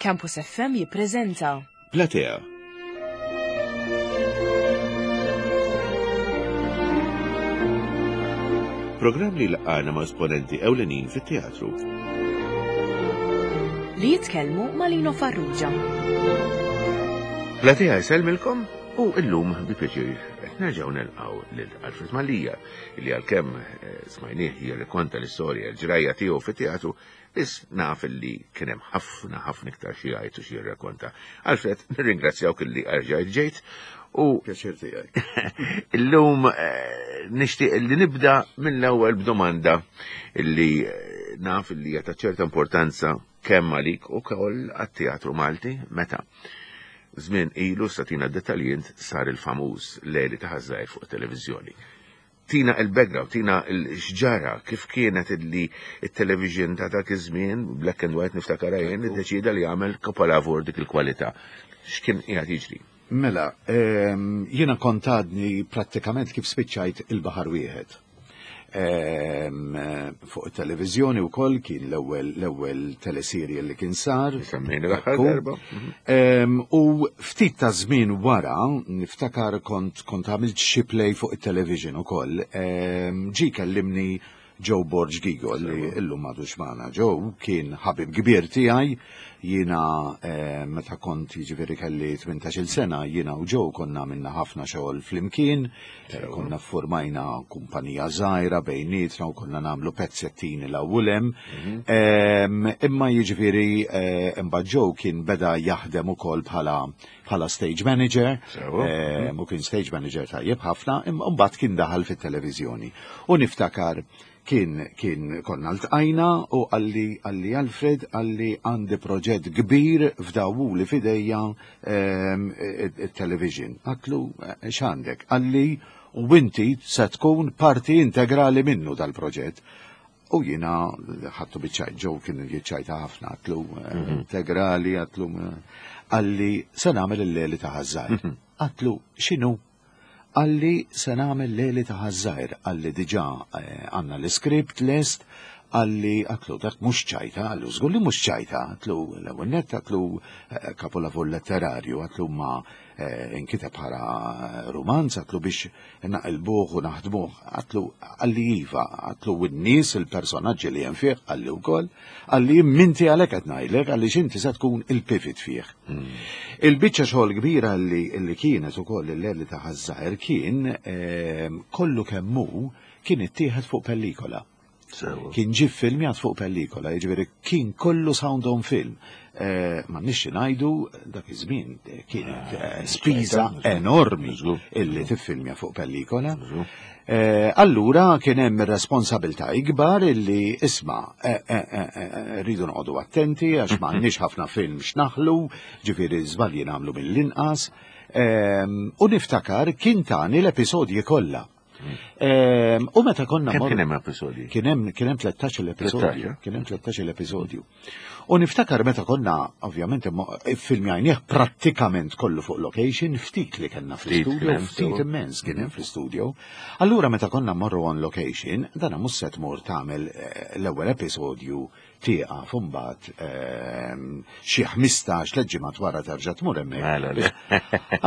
Campus FM jippreżenta. Platea. Programm li laqgħana ma' esponenti ewlenin fit-teatru. Li jitkellmu ma' Lino Farrugia. Platea jsellmilkom u illum bi pjaċir qed nerġgħu nelqgħu lil Alfred Mallia li għalkemm eh, smajnieh jirrikonta l-istorja l-ġrajja tiegħu fit-teatru Biss naf li kien hemm ħafna ħafna iktar xi jgħid u xi jirrakkonta. Alfred, nirringrazzjawk illi erġajt ġejt u Pjaċir tiegħi. illum eh, nixtieq li nibda mill-ewwel b'domanda illi eh, naf li hija ta' ċerta importanza kemm għalik u koll għat-teatru Malti meta żmien ilu satina dettaljint sar il-famuż Leli ta' Ħażżajr fuq it-televiżjoni. Tina il-background, tina l-xġara, kif kienet illi il-television ta' dak iż-żmien, black and white niftakar jien, iddeċida li jagħmel kapolavur dik il-kwalità. X'kien qiegħed jiġri? Mela, ehm, jiena kont għadni prattikament kif spiċċajt il-baħar wieħed. Ehm, fuq it-televiżjoni wkoll kien l-ewwel l-ewwel teleserje li kien sar. Semmejna l-aħħar darba. Mhm. U ftit ta' żmien wara, niftakar kont kont għamilt xi play fuq it-television ukoll, ġie kellimni Joe Borg Gigo li illum m'għadux magħna. Joe kien ħabib kbir tiegħi, jiena meta kont jiġifieri kelli 18-il sena, jiena u Joe konna għamilna ħafna xogħol flimkien, Konna formajna kumpanija żgħira bejnietna u konna nagħmlu pezzettini l u lem. Mhm. Imma jiġifieri eh, imbagħad Joe kien beda jaħdem ukoll bħala bħala stage manager, mhm. u kien stage manager tajjeb ħafna, imma mbagħad kien daħal fit-televiżjoni. U niftakar kien kien konna ltqajna u qalli qalli Alfred qalli għandi proġett kbir fdawuli f'idejja ehm, it-television. Għatlu eh, x'għandek? Qalli u inti se tkun parti integrali minnu dal-proġett. U jiena ħattu biċċajt ġew kien jiċċajta ħafna għatlu eh, mhm. integrali għatlu eh, qalli se nagħmel il-leli ta' ħażżajr. Mhm. Għatlu x'inhu? Qalli se nagħmel Leli ta' Ħaż-Żgħir, qalli diġà għandna l-iskript lest, qalli għatlu dak mhux ċajta, qallu żgur li mhux ċajta, għatlu l-ewwel nett għatlu kapolavur letterarju, għatlu ma inkiteb bħala rumanz, għatlu biex naqilbuh u naħdmuh, għatlu qalli iva, għatlu n-nies il-personaġġi li hemm fih, qalli wkoll, qalli minti għalhekk qed ngħidlek għaliex inti se tkun il-pivot fih. Hmm. Il-biċċa xogħol kbira li, li kienet ukoll il-Leli ta' Ħaż-Żgħir kien ehm, kollu kemm hu kien ittieħed fuq pellikola. Kien ġie filmjat fuq pellikola, jiġifieri kien kollu sound on film. Eh, ma nixxi ngħidu dak iż-żmien eh, kienet eh, spiża enormi illi tiffilmja fuq pellikola. Allura kien hemm ir-responsabilità ikbar illi isma' rridu noqogħdu attenti għax m'għandniex ħafna film x'naħlu, ġifieri żbalji nagħmlu mill-inqas. U niftakar kien tani l-episodji kollha. Ehm, u meta konna Kemm kien hemm episodji? Kien hemm kien hemm 13 episodju. Eh? Kien hemm 13 episodju. U niftakar meta konna ovvjament filmjajnieh prattikament kollu fuq location, ftit li kellna fl-studio, ftit immens kien hemm fl-studio. Allura meta konna morru on location, dana mhux se tmur tagħmel eh, l-ewwel episodju tieqaf u mbagħad ehm, xi 15 tliet ġimgħat wara terġa' tmur hemmhekk. Mela, le.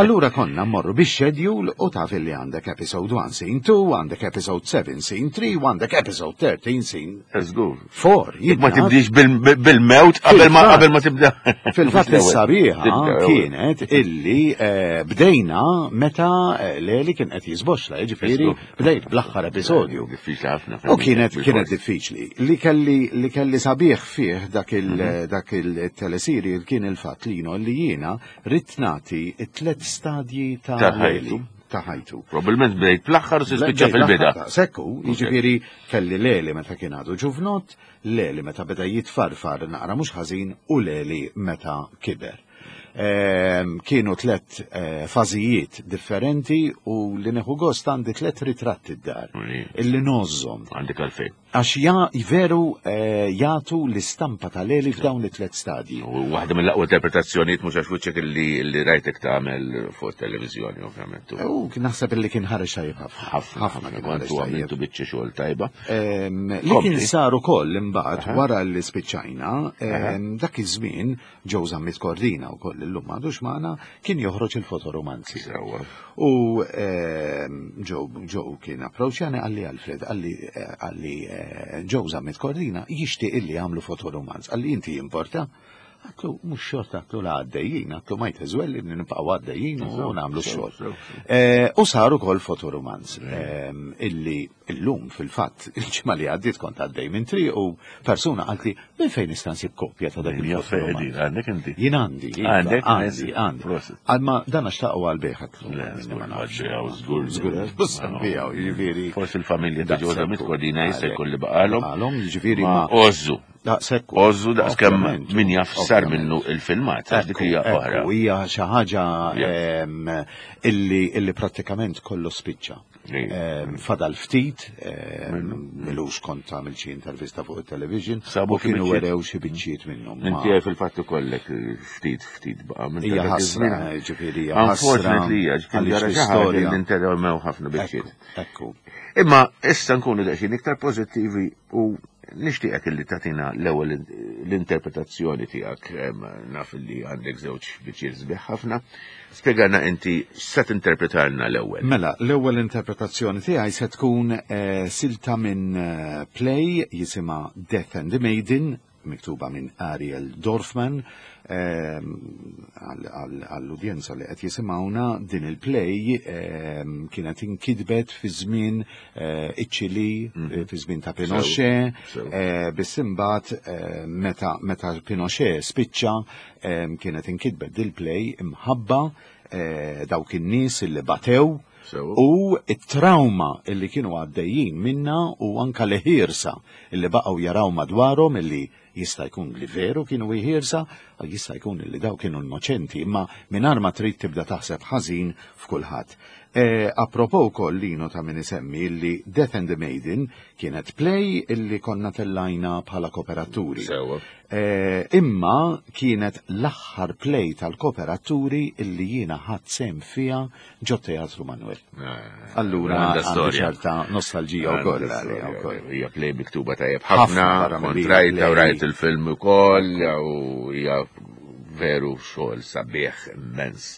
Allura konna mmorru bix schedule u taf illi għandek episode 1 scene 2, għandek episode 7 scene 3, u għandek episode 13 scene Żgur. 4. Jekk ma tibdix bil- bil-mewt qabel ma Fil-fatt. qabel ma tibda. Fil-fatt is-sabiħa Tibda, kienet illi eh, bdejna meta eh, Leli kien qed jiżboxla, jiġifieri Żgur. bdejt bl-aħħar episodju. Diffiċli ħafna. U kienet kienet diffiċli. Li kelli li kelli sabiħ fih dak il mhm. dak il-telesiri kien il-fatt li jino li jiena ridt nagħti t-tlet stadji ta' ħajtu. Ta' ħajtu. Probabilment bdejt bl-aħħar u spiċċa fil-bida. Sekku, jiġifieri kelli leli meta kien għadu ġuvnot, leli meta beda jitfarfar naqra mhux ħażin u leli meta kiber. Kienu tlet fażijiet differenti u li neħu gost għandi tlet ritratti d-dar illi nożżhom. Għandek għalfejn. Għax ja veru eh, jagħtu l-istampa tal-Eli f'dawn it-tlet stadji. U waħda mill-aqwa interpretazzjonijiet mhux għax wiċċek illi li rajtek tagħmel fuq televiżjoni ovvjament. U naħseb illi kien ħareġ tajjeb ħafna. Ħafna kien ħareġ tajjeb. Għamiltu biċċa xogħol tajba. Li kien sar ukoll imbagħad wara li spiċċajna, dak iż-żmien Joe Zammit Cordina wkoll illum m'għadux magħna, kien joħroġ il-fotoromanzi. U Joe Joe kien approċċjani qalli Alfred, qalli qalli eh, Joe Zammit Cordina jixtieq illi jagħmlu fotoromanz, qalli inti jimporta. Għatlu, mux xort għatlu la għaddejjin, għatlu ma jteżwel li nibqaw għaddejjin u nagħmlu xogħol. Eh, u saru kol fotoromanz illi Illum, fil-fatt, il-ġimgħa li għaddiet kont għaddej minn triq u persuna qaltli minn fejn nista' nsib kopja ta' dak il-fotoromanz. Għandek inti? Jien għandi. Għandek? Għandi, għandi. Għalma dan għax taqgħu għal bejħat. Żgur, żgur. Jiġifieri. Forsi l-familja ta' Ġoza Mitkodina jista' jkun li baqalhom. Baqalhom, jiġifieri ma. Ożżu. Daqshekk. Ożżu daqskemm min jaf sar minnu il-filmat, għax dik hija oħra. Hija xi ħaġa illi prattikament kollu spiċċa. Fadal ftit, milux kont għamil xi intervista fuq il-television, Sabu u kienu xi biċċiet. werew xi biċċiet minnhom. Inti għaj fil-fatt ikollek ftit ftit baqa' minn Hija dak ħasra, iż-żmien. ġifieri hija ħasra. Unfortunately, hija ġifieri għaliex jara xi ħaġa l-istorja- li interrommew ħafna biċċiet. Ekku. Imma issa nkunu daqsxejn iktar pożittivi u nixtieqek illi tagħtina l-ewwel l-interpretazzjoni tiegħek naf li għandek żewġ biċċiet sbieħ ħafna. Spjegana inti x'se tinterpretalna l-ewwel. Mela, l-ewwel interpretazzjoni tiegħi se tkun eh, silta minn eh, play jisimha Death and the Maiden miktuba minn Ariel Dorfman ehm, għall-udjenza li qed jisimgħuna din il-play ehm, kienet inkitbet fi żmien eh, iċ-Ċili, mhm. eh, fi żmien ta' Pinochet, eh, biss imbagħad meta meta Pinochet spiċċa ehm, kienet inkitbet dil-play imħabba dawk in-nies illi batew u it-trauma illi kienu għaddejjin minna u anka li ħirsa illi baqgħu jaraw madwarhom illi jista' jkun li veru kienu iħirsa, jista' jkun li daw kienu innoċenti, imma mingħajr ma trid tibda taħseb ħażin f'kulħadd. E, apropo wkoll Lino ta' min isemmi li Death and the Maiden kienet play illi konna tellajna bħala kooperaturi. Sewa. E, imma kienet l-aħħar play tal-kooperaturi illi jiena ħadd sehem fiha ġo Teatru Manuel. Eh, Allura għandha ċerta nostalġija wkoll għalija wkoll. Hija play miktuba tajjeb ħafna, kont rajta u rajt il-film ukoll u hija veru xogħol sabiħ immens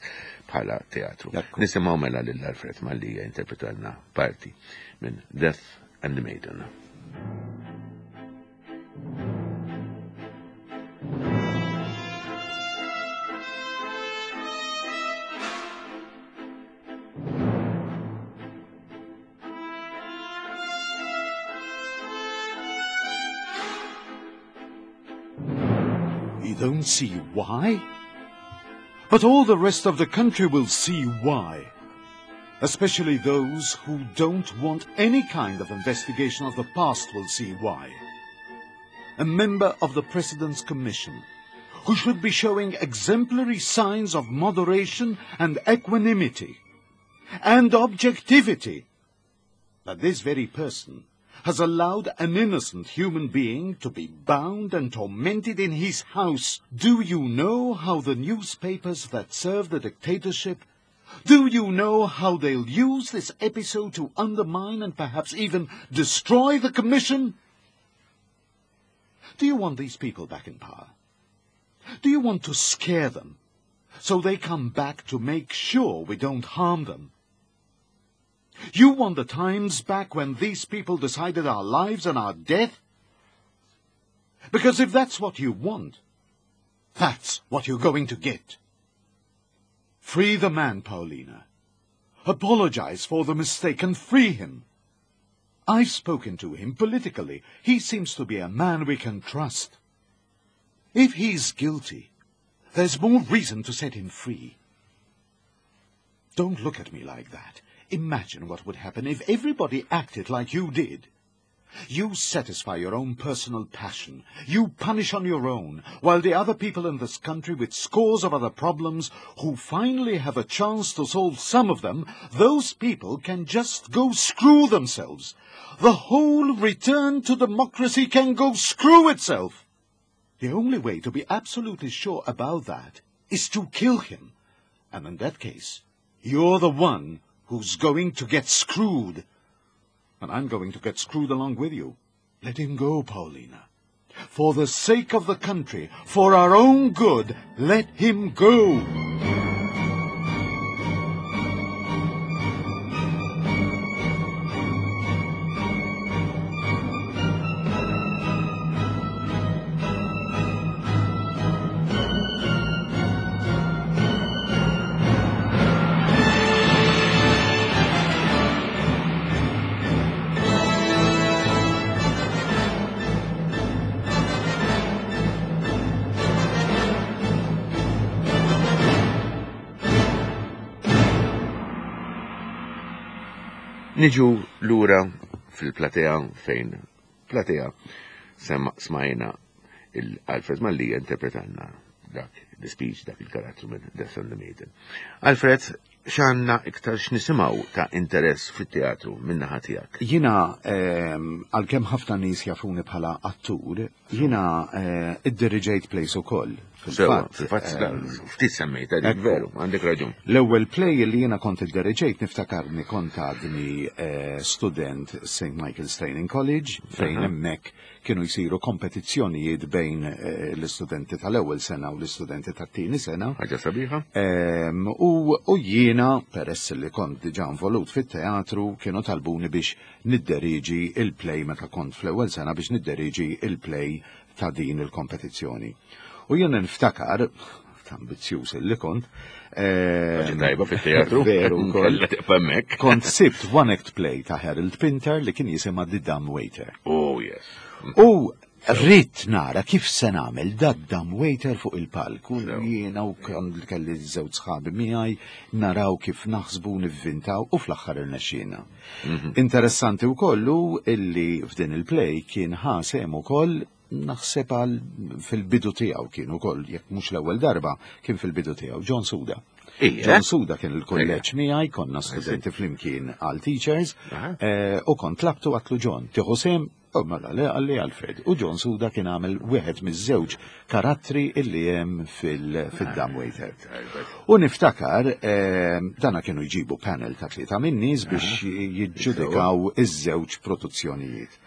bħala teatru. Nisimgħu mela lil Alfred Mallia interpretalna parti minn Death and the Maiden. You don't see why? But all the rest of the country will see why. Especially those who don't want any kind of investigation of the past will see why. A member of the President's Commission, who should be showing exemplary signs of moderation and equanimity and objectivity. But this very person has allowed an innocent human being to be bound and tormented in his house. Do you know how the newspapers that serve the dictatorship do you know how they'll use this episode to undermine and perhaps even destroy the commission? Do you want these people back in power? Do you want to scare them so they come back to make sure we don't harm them? You want the times back when these people decided our lives and our death? Because if that's what you want, that's what you're going to get. Free the man, Paulina. Apologize for the mistake and free him. I've spoken to him politically. He seems to be a man we can trust. If he's guilty, there's more reason to set him free. Don't look at me like that. Imagine what would happen if everybody acted like you did. You satisfy your own personal passion. You punish on your own, while the other people in this country with scores of other problems who finally have a chance to solve some of them, those people can just go screw themselves. The whole return to democracy can go screw itself. The only way to be absolutely sure about that is to kill him. And in that case, you're the one who's going to get screwed. And I'm going to get screwed along with you. Let him go, Paulina. For the sake of the country, for our own good, let him go. Niġu lura fil-platea fejn platea smajna il-Alfred Mallia interpretanna dak l-speech, dak il-karattru minn Death on the Maiden. Alfred, x'għandna iktar x'nisimgħu ta' interess fit-teatru min-naħa tiegħek? Jiena ehm, għalkemm ħafna nies jafuni bħala attur, jiena eh, iddiriġejt plays ukoll. Fil-fatt, fil-fatt ehm, ftit semmejta dik veru, għandek raġun. L-ewwel play li jiena kont iddiriġejt niftakarni kont għadni eh, student St. Michael's Training College fejn hemmhekk kienu jsiru kompetizzjonijiet bejn eh, l-istudenti tal-ewwel sena u l-istudenti tat-tieni sena. Ħaġa sabiħa. Ehm, u jiena, peress li kont diġà involut fit-teatru, kienu talbuni biex nidderiġi il-play meta kont fl-ewwel sena biex nidderiġi il-play ta' din il-kompetizzjoni. U jiena niftakar, ambizzjuż li kont. Ehm, tajba fit-teatru. Veru, Kont sibt one act play ta' Harold Pinter li kien jisimha The Dumb Waiter. Oh, yes. U rrit nara kif se nagħmel da dumb waiter fuq il-palk u jiena u kelli żewġ sħabi miegħi naraw kif naħsbu nivvintaw u fl-aħħar irnexxielna. Mhm. Interessanti wkoll illi f'din il-play kien ħasem ukoll naħseb għal fil-bidu tiegħu kien ukoll jekk mhux l-ewwel darba kien fil-bidu tiegħu John Suda. John Suda kien il-kulleġġ miegħi, konna studenti flimkien għal teachers, eh, u kont tlabtu għatlu John, tieħu sem, u mela le għalli Alfred. U John Suda kien għamel wieħed miż-żewġ karattri illi hemm fil-Dumb Waiter. U niftakar, eh, dana kienu jġibu panel ta' tlieta min-nies biex jiġġudikaw iż-żewġ produzzjonijiet.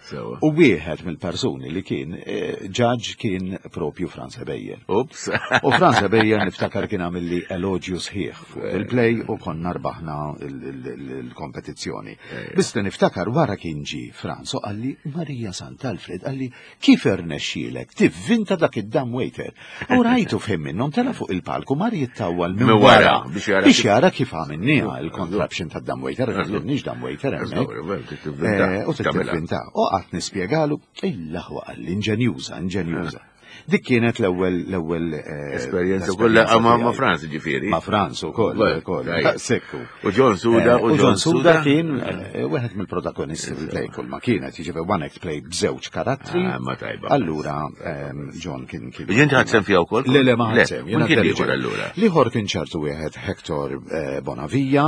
U wieħed mill-persuni li kien eh, ġaġ kien propju Franz Ebejer. Ups. U Franz Ebejer niftakar kien għamilli eloġju sħiħ fuq eh. il-play u konna rbaħna il-kompetizzjoni. Eh. Biss li niftakar wara kien ġi Franz u qalli Marija Sant'Alfred qalli kif irnexxielek tivvinta dak id-dam waiter. U rajtu fim minnhom tela fuq il-palku mar jittawwal minn wara biex jara kif għamilniha il-contraption ta' dam waiter, għax dam waiter hemmhekk. Eh, u tivvinta. U qatt nispjegalu il-laħwa qalli inġenjuża, inġenjuża. Eh. Dik kienet l-ewwel l-ewwel eh, esperjenza kollha ma' ma' Franz ġifieri. Ma' Franz ukoll ukoll. Sekku. U John Suda u John Suda kien wieħed mill-protagonisti fil-play kull ma kienet, jiġifieri one act play b'żewġ karattri. Ah, ma tajba. Allura ehm, John kien kien. Inti ħadd sem fiha wkoll? Le le ma ħadd sem. Jiena kien ieħor allura. L-ieħor kien ċertu wieħed Hector eh, Bonavia.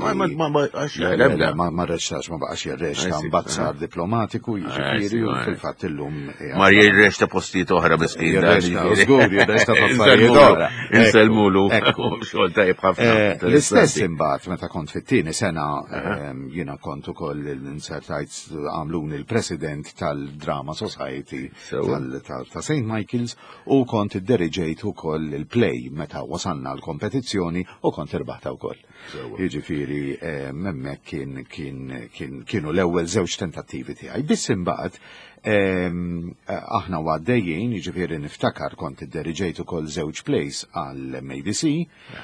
Ma ma ma ma ma reċtax ma baqax jirreċta mbagħad sar diplomatiku jiġifieri u fil-fatt illum. Ma jirreċta postijiet oħra miskin. Jirreċta, żgur jirreċta f'affarijiet oħra. Insellmulu. Xogħol tajjeb ħafna. Eh, l-istess imbagħad meta kont fit-tieni sena ehm, jiena kont ukoll insertajt għamluni l-president tal-Drama Society ta' St. Michael's u kont idderiġejt ukoll il-play meta wasalna l-kompetizzjoni u kont irbaħta wkoll. Jiġifieri eh, hemmhekk kien kien kienu l-ewwel żewġ tentattivi tiegħi. Biss imbagħad ehm, aħna għaddejjin, jiġifieri niftakar kont idderiġejt ukoll żewġ plays għal MADC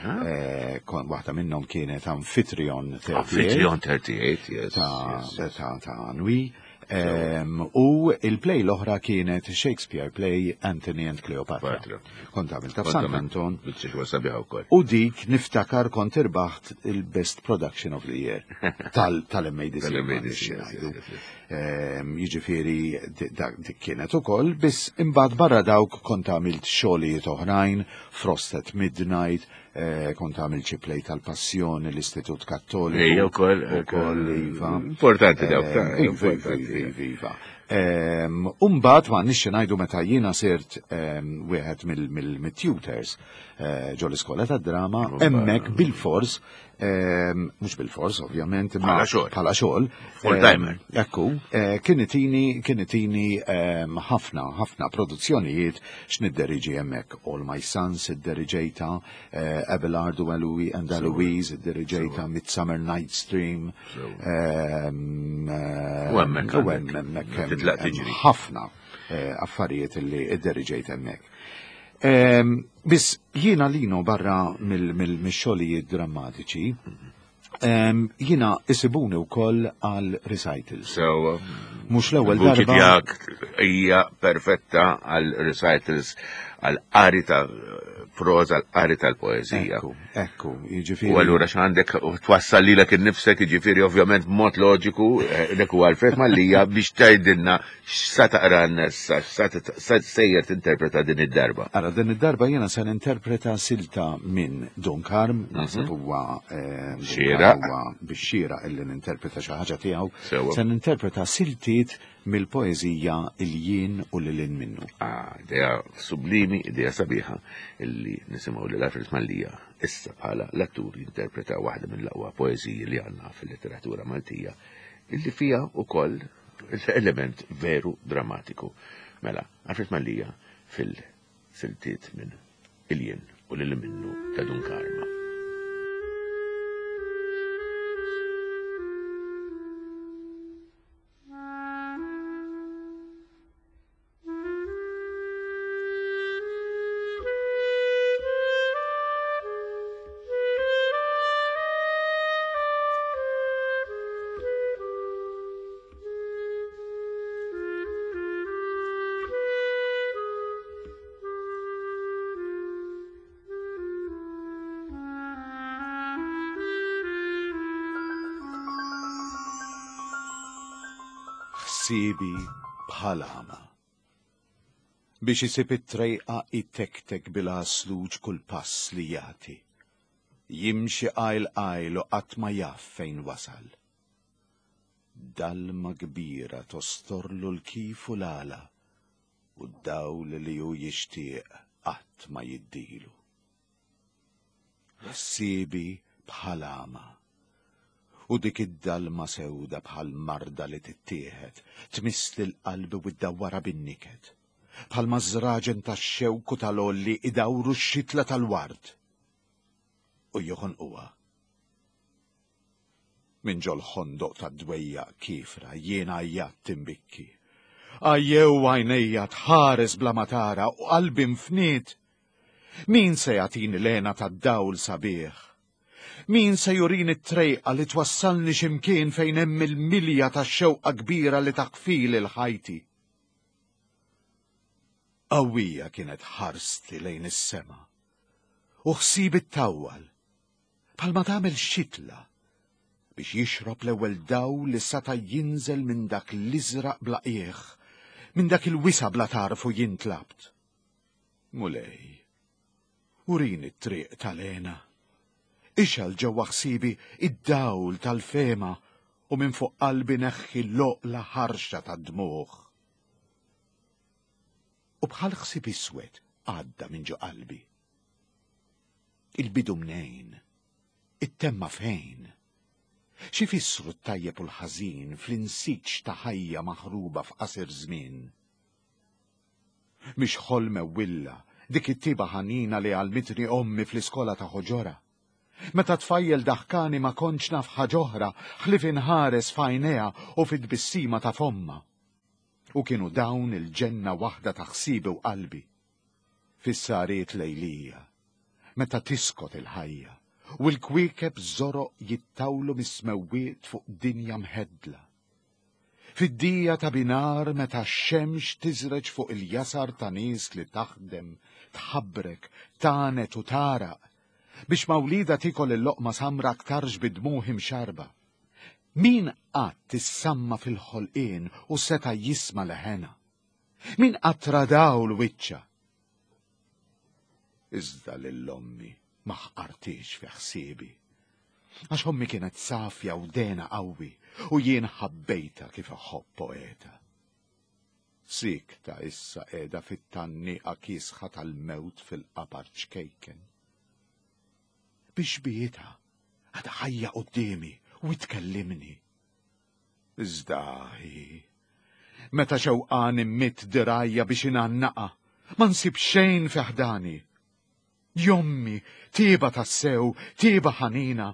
Eh, waħda minnhom kienet Amphitryon 38. Amphitryon 38, yes. Ta' ta' Anwi. U il-play l-oħra kienet Shakespeare play Anthony and Cleopatra. Kont għamilta f'San Anton. U dik niftakar kont irbaħt il-Best Production of the Year tal-MADC. Jiġifieri dik kienet ukoll, biss imbagħad barra dawk kont għamilt xogħlijiet oħrajn, Frost at Midnight, eh, kont għamilt xi play tal-Passjoni, l-Istitut Kattoliku. Ejja wkoll. Ukoll iva. Importanti dawk. Eh, iva, iva, iva, iva. Ehm, Umbagħad ma nixxi ngħidu meta jiena sirt ehm, wieħed mill-tutors eh, ġol iskola tad-drama, hemmhekk bil-fors Ehm, mhux bil-fors ovvjament, imma bħala xogħol. Full timer. Ehm, ekku, eh, kien itini kien itini ehm, ħafna ħafna produzzjonijiet x'nidderiġi hemmhekk. All My Sons idderiġejta, eh, Abelard u Aloui and Eloise idderiġejta, Midsummer Night's Dream. Eh, u hemmhekk u hemmhekk ħafna affarijiet li idderiġejt hemmhekk. Biss jiena Lino barra mill-xogħlijiet drammatiċi, jiena isibuni wkoll għal recitals. So, mhux l-ewwel darba. tiegħek hija perfetta għal recitals għal qari ta' proza, għal qari tal-poeżija. Ekku, ekku, jiġifieri. U allura x'għandek twassal lilek innifsek, jiġifieri ovvjament b'mod loġiku, eh, dak huwa Alfred Mallia biex tgħidilna X'sa taqra issa, x'sa sejjer tinterpreta din id-darba? Ara, din id-darba jiena se ninterpreta silta minn Don Karm, mhm. naħseb huwa eh, xieraq huwa biex xieraq illi ninterpreta xi ħaġa tiegħu. Se ninterpreta siltiet mill-poeżija Il-jien u lil minnu. Ah, idea sublimi, idea sabiħa illi nisimgħu lil Alfred Mallia issa bħala l-attur jinterpreta waħda mill-aqwa poeżiji li għandna fil-letteratura Maltija illi fiha ukoll element veru drammatiku. Mela, Alfred Mallia fil-siltiet minn Il-jien u lil minnu ta' Dun Karma. Ħsiebi bħal għama. Biex isib it-trejqa itektek bil-għasluġ kull pass li jagħti. Jimxi qajl qajl u qatt ma jaf fejn wasal. Dalma kbira tostorlu l-kif u l-għala u d-dawl li hu jixtieq qatt ma jiddilu. Ħsiebi bħal għama. U dik id-dalma sewda bħal marda li tittieħed, tmiss lil qalbi u ddawwarha bin-niket. Bħalma ż-żraġen tax-xewk u tal-għolli idawru x-xitla tal-ward u joħonquha. Minn ġol-ħondoq tad-dwejjaq kiefra jien għajjatt imbikki. Għajjew għajnejja tħares bla ma tara u qalbi nfniet. Min se jagħtini l-hena tad-dawl sabiħ? Min se jurini t-trejqa li twassalni xi mkien fejn hemm il-milja tax-xewqa kbira li taħfili l-ħajti? Qawwija kienet ħarsti lejn is-sema u ħsiebi ttawwal bħalma tagħmel xitla biex jixrob l-ewwel dawl li sata' jinżel minn dak l-iżraq bla qiegħ, minn dak il-wisa' bla tarf u jien tlabt. Mulej, urini t-triq tal-hena. Ixgħal ġewwa ħsiebi id-dawl tal-fehma u minn fuq qalbi neħħi l-oqla ħarxa tad-dmugħ. U bħal ħsieb iswed għadda minn ġo qalbi. Il-bidu mnejn? It-temma fejn? X'ifissru t-tajjeb u l-ħażin fl-insiġ ta' ħajja maħruba f'qasir żmien? Mhix ħolm ewwilla dik it-tiba ħanina li għallmitni ommi fl-iskola ta' ħoġorha? Meta tfajjel daħkani ma kontx naf ħaġ'oħra ħlief inħares f'għajnejha u fit-tbissima ta' fommha. U kienu dawn il-ġenna waħda ta' ħsiebi u qalbi. Fis-sahriet lejlija, meta tiskot il-ħajja, u l-kwiekeb żoroq jittawlu mis-smewwiet fuq dinja mħeddla. Fid-dija ta' binar meta x-xemx tiżreġ fuq il-jasar ta' nies li taħdem, tħabbrek, tagħnet u tagħraq, biex ma' wliedha tiekol il-loqma samra aktarx bid-dmugħ imxarrba. Min qatt issamma fil-ħolqien u seta' jisma' leħenha? Min qatt ra dawl wiċċha? Iżda lil ommi ma ħqartiex fi ħsiebi. Għax ommi kienet safja u dena qawwi u jien ħabbejtha kif iħobb poeta. Siekta issa qiegħda fit-tgħanniqa kiesħa tal-mewt fil-qabar ċkejken. Bi xbiehitha għadha ħajja quddiemi u tkellimni. Iżda hi, meta xewqan immidd dirgħajja biex ingħannaqha, ma nsib xejn fi ħdani. Jommi, tieba tassew, tieba ħanina,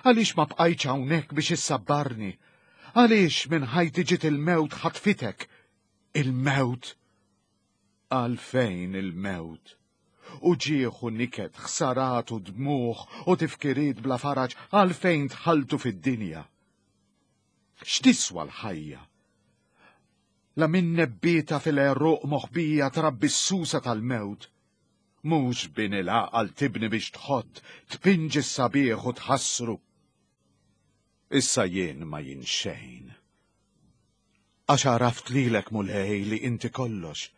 għaliex ma bqajtx hawnhekk biex issabbarni? Għaliex minn ħajti ġiet il-mewt ħatfitek? Il-mewt! Għalfejn il-mewt? Uġigħ u niket, ħsarat u dmugħ u tifkiriet bla faraġ għalfejn dħaltu fid-dinja? X'tiswa l-ħajja? La minn nebbieta fil-għeruq moħbija trabbi s-susa tal-mewt. Mhux bini l-għaqal tibni biex tħott, tpinġi s-sabiħ u tħassru. Issa jien ma jien xejn. Għax għaraft lilek Mulej li inti kollox.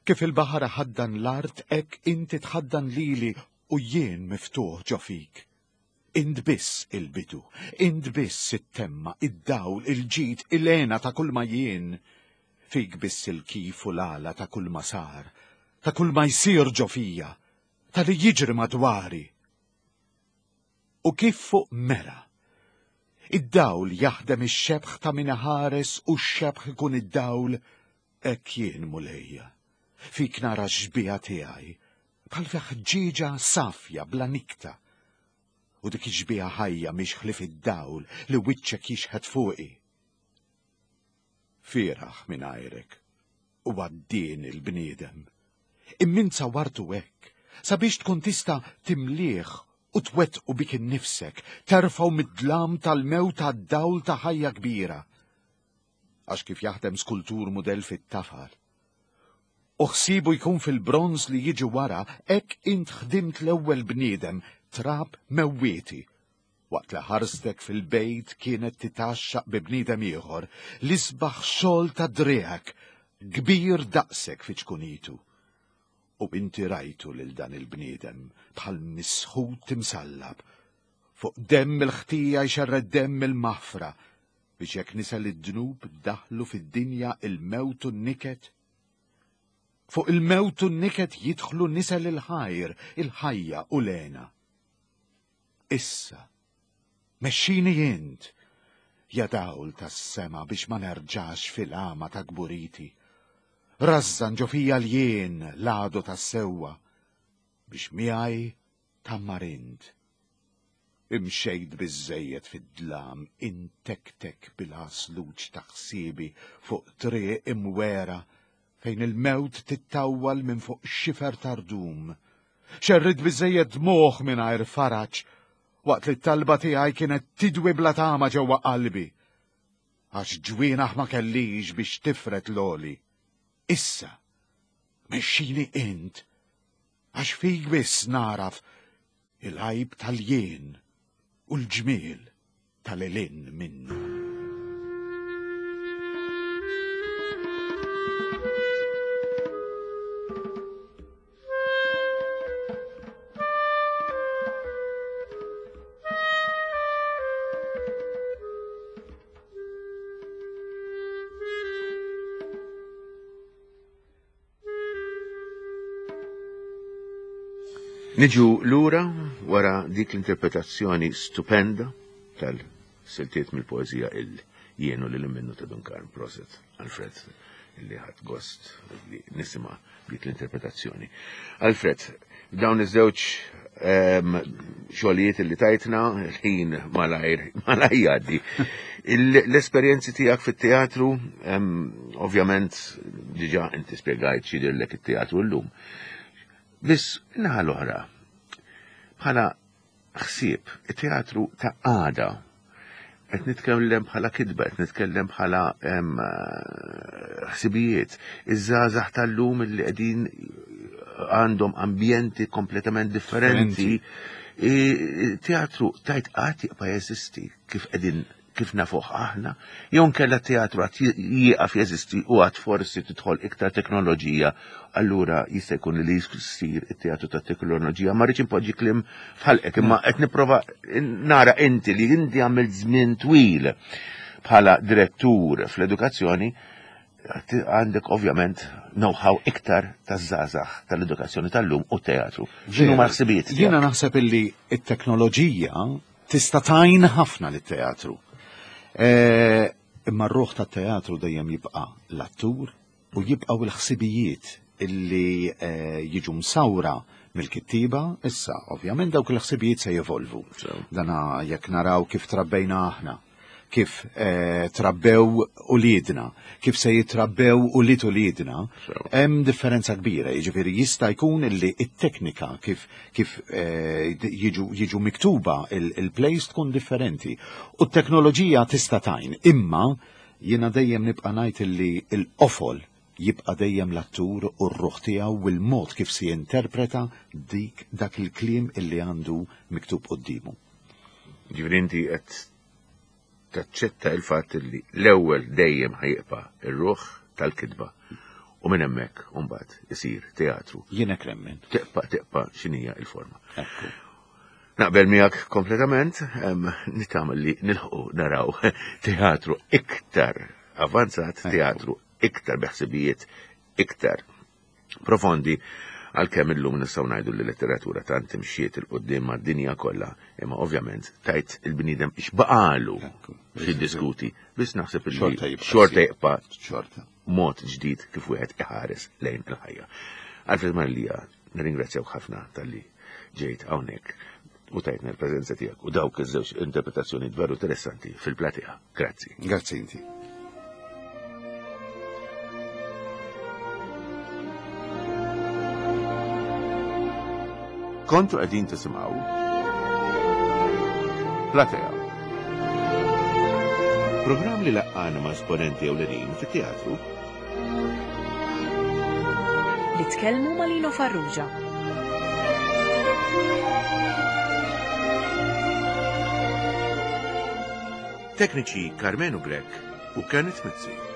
Kif il-baħar iħaddan l-art hekk inti tħaddan lili u jien miftuħ ġo fik. Int biss il-bidu, int biss it-temma, id-dawl, il-ġid, il-hena ta' kulma jien. Fik biss il-kif u l-għala ta' kulma sar, ta' kulma jsir ġo fija, ta' li jiġri madwari. U kif fuq mera, id-dawl jaħdem ix-xebh ta' min iħares u x-xebh ikun id-dawl, hekk jien Mulejja. Fik nara x-xbieha tiegħi, bħal fi ħġieġa safja bla nikta. U dik ix-xbieha ħajja mhix ħlief id-dawl li wiċċek jixħet fuqi. Fieragħ mingħajrek u għaddieni l-bniedem. Imma int sawwartu hekk sabiex tkun tista' timlieh u twettqu bik innifsek, terfgħu mid-dlam tal-mewt għad-dawl ta' ħajja kbira. Għax kif jaħdem skultur mudell fit-tafal, u ħsiebu jkun fil-bronż li jiġi wara, hekk int ħdimt l-ewwel bniedem, trab mewwieti. Waqt li ħarstek fil-bejt kienet titgħaxxaq bi bniedem ieħor, l-isbaħ xogħol ta' driegħek, kbir daqsek fi ċkunitu. U inti rajtu lil dan il-bniedem bħal misħut imsallab, fuq demm il-ħtija jxerred demm il-maħfra, biex jekk nisel id-dnub daħlu fid-dinja il-mewt u n-niket? Fuq il-mewt u n-niket jidħlu nisel il-ħajr, il-ħajja u l-hena. Issa, mexxini int, ja dawl tas-sema biex ma nerġax fil-għama ta' kburiti. Rażżan ġo fija l-jien l-għadu tas-sewwa biex miegħi tgħammar int. Imxejt biżżejjed fid-dlam intektek bil-għasluġ ta' ħsiebi fuq triq imwegħra fejn il-mewt tittawwal minn fuq xifer ta' rdum. Xerridt biżżejjed dmugħ mingħajr faraġ waqt li t-talba tiegħi kienet tidwi bla tama ġewwa qalbi. Għax ġwienaħ ma kellix biex tifred l-għoli. Issa, mexxini int, għax fik biss nagħraf il-għajb tal-jien u l-ġmiel tal-ilin minnu. Niġu lura wara dik l-interpretazzjoni stupenda tal-siltiet mill-poeżija il-jienu li minnu ta' Dun Karm Proset Alfred li ħadd gost li nisima dik l-interpretazzjoni. Alfred, dawn iż-żewġ ehm, xogħlijiet li tajtna ħin malajr malajr jgħaddi. L-esperjenzi tiegħek fit-teatru, ehm, ovvjament diġà inti spjegajt x'jidhirlek it-teatru llum. Biss naħa l-oħra, bħala ħsieb, it-teatru ta' għada. Qed nitkellem bħala kitba, qed nitkellem bħala ħsibijiet. Iż-żgħażagħ tal-lum li qegħdin għandhom ambjenti kompletament differenti. Teatru tajt qatt jibqa' jeżisti kif qegħdin kif nafuh aħna, jew nkella teatru għad jieqaf jeżisti u għad forsi tidħol iktar teknoloġija, allura jista' jkun li jsir it-teatru ta' teknoloġija. Ma rridx inpoġġi kliem f'ħalqek, imma qed nipprova nara inti li inti għamilt żmien twil bħala direttur fl-edukazzjoni, għandek ovvjament know-how iktar taż-żgħażagħ tal-edukazzjoni tal-lum u teatru. X'inhu ma ħsibijiet? Jiena naħseb illi t-teknoloġija tista' tgħin ħafna lit-teatru. E, imma r-ruħ tat-teatru dejjem jibqa' l-attur u jibqgħu l-ħsibijiet illi e, jiġu msawra mill-kittiba, issa ovvjament dawk il-ħsibijiet se jevolvu. Dana jekk naraw kif trabbejna aħna kif eh, trabbew uliedna, kif se jitrabbew ulied uliedna, hemm differenza kbira, jiġifieri jista' jkun illi it-teknika kif kif eh, jiġu jiġu miktuba il-plays tkun differenti. U t-teknoloġija tista' tajn, imma jiena dejjem nibqa' ngħid illi l-qofol jibqa' dejjem l-attur u r-ruħ tiegħu u l-mod kif se jinterpreta dik dak il-kliem illi għandu miktub quddiemu. Ġifieri inti qed taċċetta il-fatt li l-ewwel dejjem ħajqpa ir-ruħ tal-kitba u minn hemmhekk imbagħad isir teatru. Jien hekk nemmen. Teqpa' teqpa' x'inhija l-forma. Naqbel miegħek kompletament, nittama li nilħqu naraw teatru iktar avanzat, teatru iktar beħsibijiet iktar profondi għalkemm illum nistgħu ngħidu li letteratura tant imxiet il quddiem mad-dinja kollha, imma ovvjament tajt il-bniedem x'baqalu x'jiddiskuti, biss naħseb li xorta jibqa' xorta mod ġdid kif wieħed iħares lejn il-ħajja. Alfred Marlija, nirringrazzjawk ħafna talli ġejt hawnhekk u tajtna l-preżenza tiegħek u dawk iż-żewġ interpretazzjoni veru interessanti fil-platea. Grazzi. Grazzi inti. Kontu qegħdin tisimgħu Platea. Programm li laqqana ma' esponenti ewlenin fit-teatru Li tkellmu ma' Lino Farrugia. Tekniċi Karmenu Grech u Kenneth Mizzi.